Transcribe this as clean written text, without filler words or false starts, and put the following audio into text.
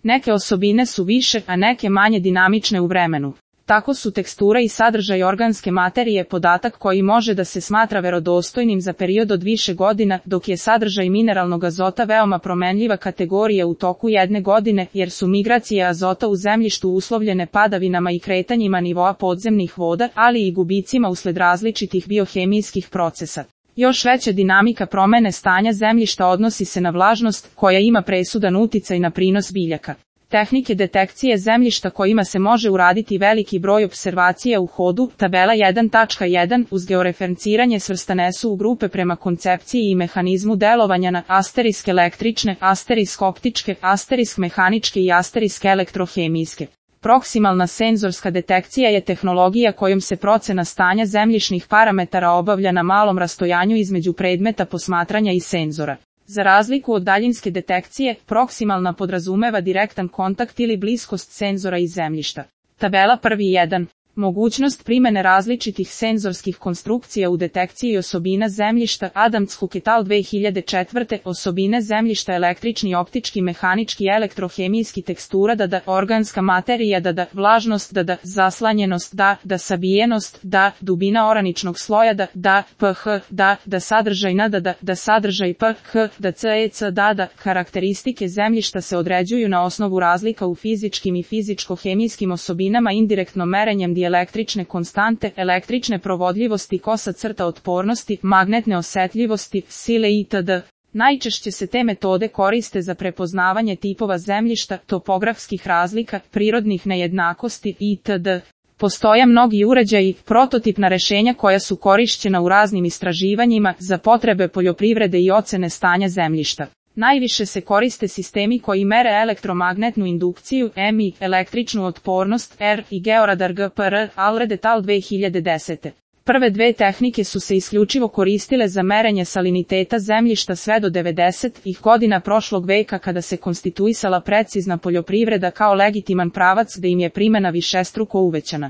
Neke osobine su više, a neke manje dinamične u vremenu. Tako su tekstura i sadržaj organske materije podatak koji može da se smatra verodostojnim za period od više godina, dok je sadržaj mineralnog azota veoma promenljiva kategorija u toku jedne godine, jer su migracije azota u zemljištu uslovljene padavinama i kretanjima nivoa podzemnih voda, ali i gubicima usled različitih biohemijskih procesa. Još veća dinamika promene stanja zemljišta odnosi se na vlažnost, koja ima presudan uticaj na prinos biljaka. Tehnike detekcije zemljišta kojima se može uraditi veliki broj observacija u hodu, tabela 1.1 uz georeferenciranje svrstane su u grupe prema koncepciji i mehanizmu delovanja na asterisk električne, asterisk optičke, asterisk mehaničke i asterisk elektrohemijske. Proksimalna senzorska detekcija je tehnologija kojom se procena stanja zemljišnih parametara obavlja na malom rastojanju između predmeta posmatranja i senzora. Za razliku od daljinske detekcije, proksimalna podrazumeva direktan kontakt ili bliskost senzora i zemljišta. Tabela 1.1. Mogućnost primene različitih senzorskih konstrukcija u detekciji osobina zemljišta Adams-Hook et al. 2004. Osobine zemljišta električni, optički, mehanički, elektrohemijski, tekstura organska materija vlažnost zaslanjenost sabijenost dubina oraničnog sloja pH sadržajna sadržaj pH CEC karakteristike zemljišta se određuju na osnovu razlika u fizičkim i fizičko-hemijskim osobinama indirektno merenjem električne konstante, električne provodljivosti, kosa crta otpornosti, magnetne osetljivosti, sile itd. Najčešće se te metode koriste za prepoznavanje tipova zemljišta, topografskih razlika, prirodnih nejednakosti itd. Postoje mnogi uređaji, prototipna rešenja koja su korišćena u raznim istraživanjima za potrebe poljoprivrede i ocene stanja zemljišta. Najviše se koriste sistemi koji mere elektromagnetnu indukciju, EMI, električnu otpornost, R i georadar GPR, Allred et al. 2010. Prve dve tehnike su se isključivo koristile za merenje saliniteta zemljišta sve do 90-ih godina prošlog veka kada se konstituisala precizna poljoprivreda kao legitiman pravac gde im je primena višestruko uvećana.